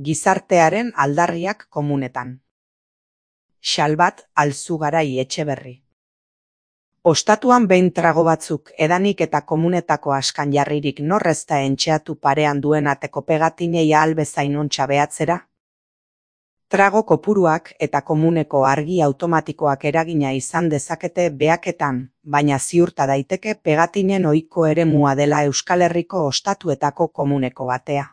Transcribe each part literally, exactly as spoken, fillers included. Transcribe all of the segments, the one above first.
Gizartearen aldarriak komunetan. Xalbat Alzugarai Etxeberri. Ostatuan behin trago batzuk edanik eta komunetako askan jarririk norrez da entxeatu parean duen ateko pegatinei ahal bezain ontsa behatzera? Trago kopuruak eta komuneko argi automatikoak eragina izan dezakete behaketan, baina ziurta daiteke pegatinen ohiko eremua dela Euskal Herriko ostatuetako komuneko batea.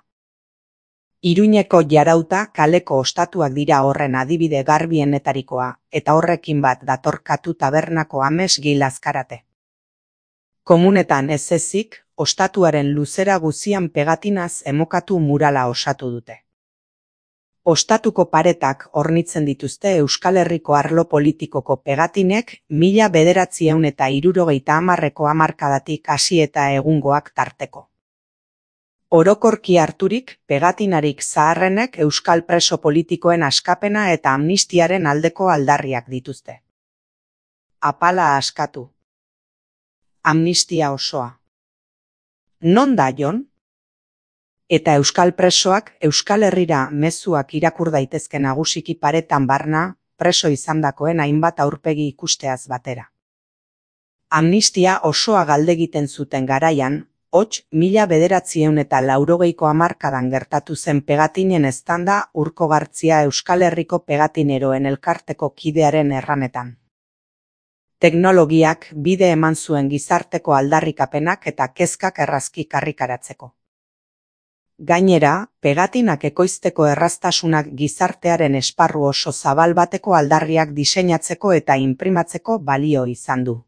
Iruñeko Jarauta kaleko ostatuak dira horren adibide garbienetarikoa, eta horrekin bat datorkatu tabernako Ames Gil Azkarate. Komunetan ez ezik, ostatuaren luzera guzian pegatinaz emokatu murala osatu dute. Ostatuko paretak hornitzen dituzte Euskal Herriko arlo politikoko pegatinek mila bederatziehun eta hirurogeita hamarreko hamarkadatik hasi eta egungoak tarteko. Orokorki harturik, pegatinarik zaharrenek euskal preso politikoen askapena eta amnistiaren aldeko aldarriak dituzte. Apala askatu. Amnistia osoa. Non da Jon? Eta euskal presoak Euskal Herrira mezuak irakur daitezke nagusiki paretan barna, preso izandakoen hainbat aurpegi ikusteaz batera. Amnistia osoa galdegiten zuten garaian, hots mila bederatziehun eta laurogeiko hamarkadan gertatu zen pegatinen eztanda Urko Gartzia Euskal Herriko pegatineroen elkarteko kidearen erranetan. Teknologiak bide eman zuen gizarteko aldarrikapenak eta kezkak errazki karrikaratzeko. Gainera, pegatinak ekoizteko erraztasunak gizartearen esparru oso zabal bateko aldarriak diseinatzeko eta inprimatzeko balio izan du.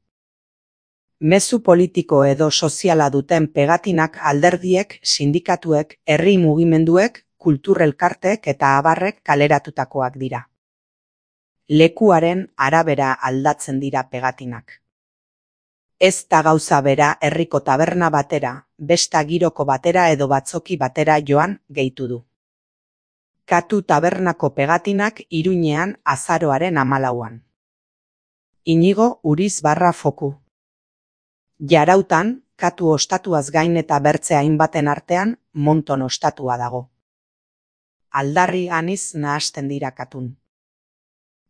Mezu politiko edo soziala duten pegatinak alderdiek, sindikatuek, herri mugimenduek, kulturelkarteek eta abarrek kaleratutakoak dira. Lekuaren arabera aldatzen dira pegatinak. Ez da gauza bera herriko taberna batera, besta giroko batera edo batzoki batera joan gehitu du. Katu tabernako pegatinak Iruñean azaroaren hamalauan. Inigo Uriz barra Foku. Jarautan, katu ostatuaz gain eta bertze hainbaten artean, Monton ostatua dago. Aldarri aniz nahasten dira katun.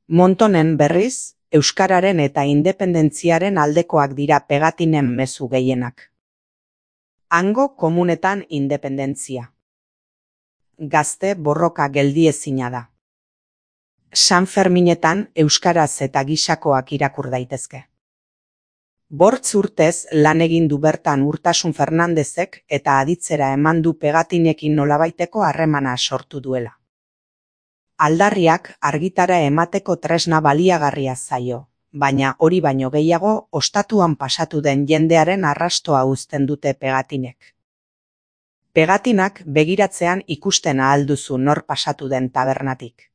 Montonen berriz, euskararen eta independentziaren aldekoak dira pegatinen mezu gehienak. Hango komunetan independentzia. Gazte borroka geldiezina da. San Ferminetan euskaraz eta gisakoak irakur daitezke. Bortz urtez lan egin du bertan Urtasun Fernandezek eta aditzera eman du pegatinekin nolabaiteko harremana sortu duela. Aldarriak argitara emateko tresna baliagarria zaio, baina hori baino gehiago ostatuan pasatu den jendearen arrastoa uzten dute pegatinek. Pegatinak begiratzean ikusten ahal duzu nor pasatu den tabernatik.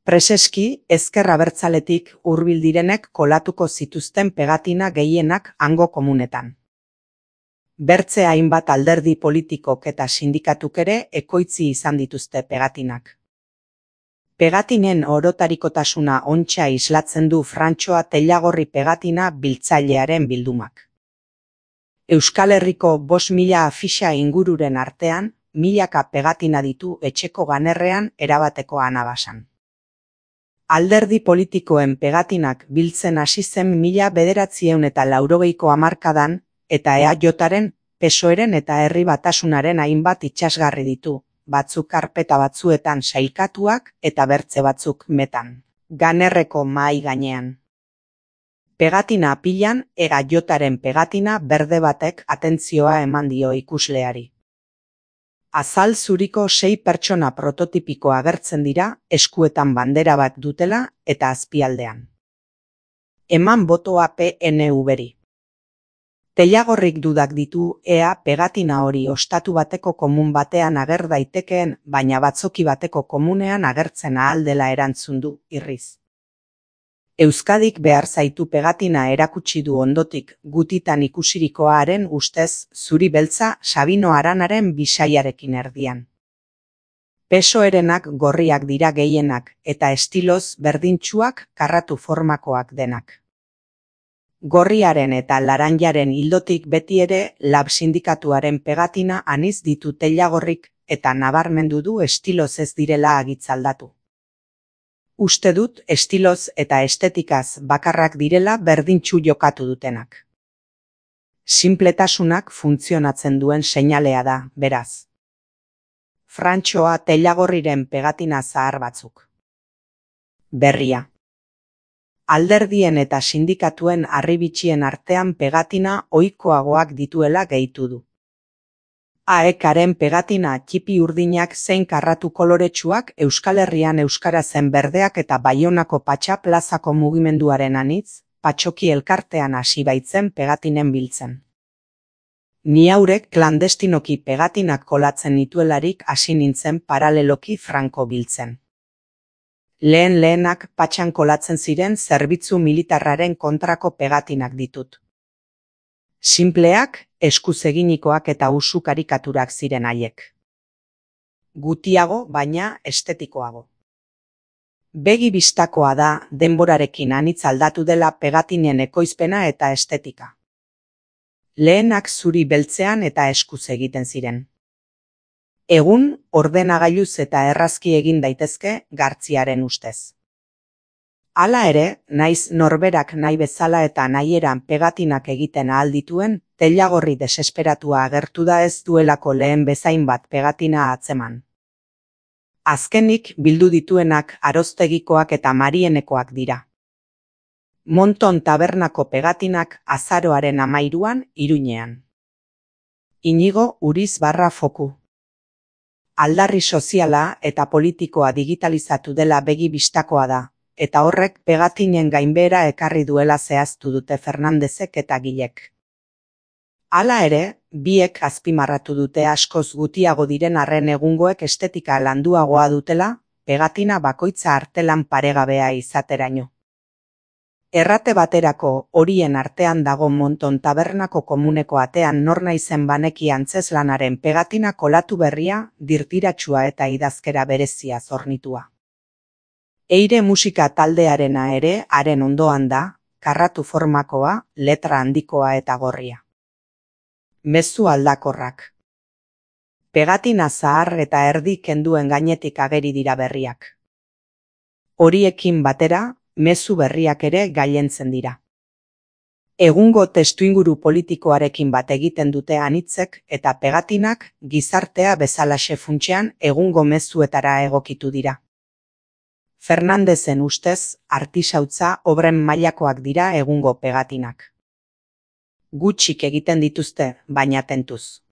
Preseski, ezker abertzaletik hurbil direnek kolatuko zituzten pegatina gehienak hango komunetan. Bertze hainbat alderdi politikok eta sindikatuk ere ekoitzi izan dituzte pegatinak. Pegatinen orotarikotasuna ontsa islatzen du Frantxoa Tellagorri pegatina biltzailearen bildumak. Euskal Herriko bost mila afixa ingururen artean, milaka pegatina ditu etxeko ganerrean erabateko anabasan. Alderdi politikoen pegatinak biltzen hasi zen mila bederatziehun eta laurogeiko hamarkadan, eta E A Jaren, Pesoeren eta Herri Batasunaren hainbat itsasgarri ditu, batzuk karpeta batzuetan sailkatuak eta bertze batzuk metan, ganerreko mahai gainean. Pegatina apilan, E A Jaren pegatina berde batek atentzioa eman dio ikusleari. Azal zuriko sei pertsona prototipiko agertzen dira, eskuetan bandera bat dutela eta azpialdean. Eman botoa P N V-ri. Tellagorrik dudak ditu ea pegatina hori ostatu bateko komun batean ager daitekeen, baina batzoki bateko komunean agertzen ahal dela erantzun du, irriz. Euskadik behar zaitu pegatina erakutsi du ondotik gutitan ikusirikoaren ustez zuri beltza Sabino Aranaren bisaiarekin erdian. Pesoerenak gorriak dira gehienak eta estiloz berdintsuak karratu formakoak denak. Gorriaren eta laranjaren hildotik beti ere Lab sindikatuaren pegatina aniz ditu Tellagorrik eta nabarmendu du estiloz ez direla agitzaldatu. Uste dut estiloz eta estetikaz bakarrak direla berdintsu jokatu dutenak. Sinpletasunak funtzionatzen duen seinalea da, beraz. Frantxoa teilagorriren pegatina zahar batzuk. Berria. Alderdien eta sindikatuen harribitxien artean pegatina ohikoagoak dituela gehitu du. A E K-aren pegatina txipi urdinak zein karratu koloretsuak Euskal Herrian euskarazen berdeak eta Baionako Patxa plazako mugimenduaren anitz, Patxoki elkartean hasi baitzen pegatinen biltzen. Ni haurek klandestinoki pegatinak kolatzen nituelarik hasi nintzen paraleloki franko biltzen. Lehen lehenak Patxan kolatzen ziren zerbitzu militarraren kontrako pegatinak ditut. Sinpleak, eskuz eginikoak eta usu karikaturak ziren haiek. Gutiago, baina estetikoago. Begi bistakoa da denborarekin anitz aldatu dela pegatinen ekoizpena eta estetika. Lehenak zuri beltzean eta eskuz egiten ziren. Egun, ordenagailuz eta errazki egin daitezke Gartziaren ustez. Hala ere, naiz norberak nahi bezala eta nahieran pegatinak egiten ahal dituen, teilagorri desesperatua agertu da ez duelako lehen bezain bat pegatina atzeman. Azkenik bildu dituenak Aroztegikoak eta Marienekoak dira. Monton tabernako pegatinak azaroaren amairuan Iruñean. Inigo Uriz barra foku. Aldarri soziala eta politikoa digitalizatu dela begi bistakoa da, eta horrek pegatinen gainbehera ekarri duela zehaztu dute Fernandezek eta Gilek. Hala ere, biek azpimarratu dute askoz gutiago diren arren egungoek estetika landuagoa dutela, pegatina bakoitza artelan paregabea izateraino. Errate baterako horien artean dago Monton tabernako komuneko atean nor naizen baneki antzeslanaren pegatina kolatu berria, dirtiratsua eta idazkera berezia zornitua. Eire musika taldearena ere haren ondoan da, karratu formakoa, letra handikoa eta gorria. Mezu aldakorrak. Pegatina zahar eta erdi kenduen gainetik ageri dira berriak. Horiekin batera, mezu berriak ere gailentzen dira. Egungo testuinguru politikoarekin bat egiten dute anitzek eta pegatinak gizartea bezalaxe funtsean egungo mezuetara egokitu dira. Fernandezen ustez, artisautza obren mailakoak dira egungo pegatinak. Gutxik egiten dituzte, baina tentuz.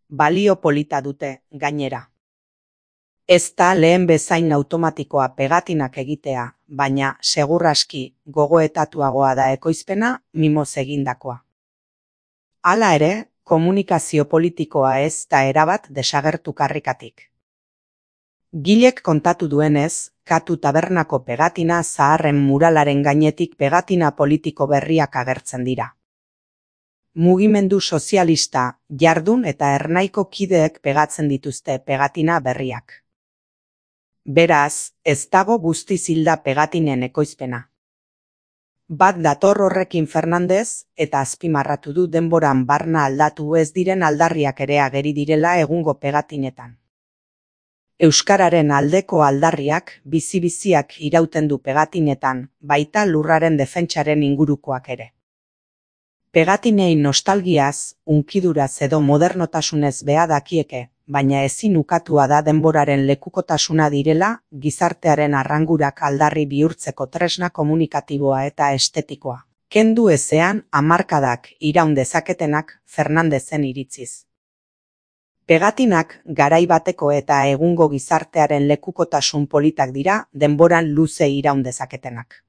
Balio polita dute, gainera. Ez da lehen bezain automatikoa pegatinak egitea, baina seguraski gogoetatuagoa da ekoizpena mimoz egindakoa. Hala ere, komunikazio politikoa ez da erabat desagertu karrikatik. Gilek kontatu duenez, Katu tabernako pegatina zaharren muralaren gainetik pegatina politiko berriak agertzen dira. Mugimendu sozialista, jardun eta ernaiko kideek pegatzen dituzte pegatina berriak. Beraz, ez dago guztiz hilda pegatinen ekoizpena. Bat dator horrekin Fernandez eta azpimarratu du denboran barna aldatu ez diren aldarriak ere ageri direla egungo pegatinetan. Euskararen aldeko aldarriak bizi-biziak irauten du pegatinetan, baita lurraren defentsaren ingurukoak ere. Pegatinei nostalgiaz, unkiduraz edo modernotasunez beha dakieke, baina ezin ukatua da denboraren lekukotasuna direla, gizartearen arrangurak aldarri bihurtzeko tresna komunikatiboa eta estetikoa. Kendu ezean hamarkadak iraun dezaketenak Fernandezen iritziz. Pegatinak garai bateko eta egungo gizartearen lekukotasun politak dira denboran luze iraun dezaketenak.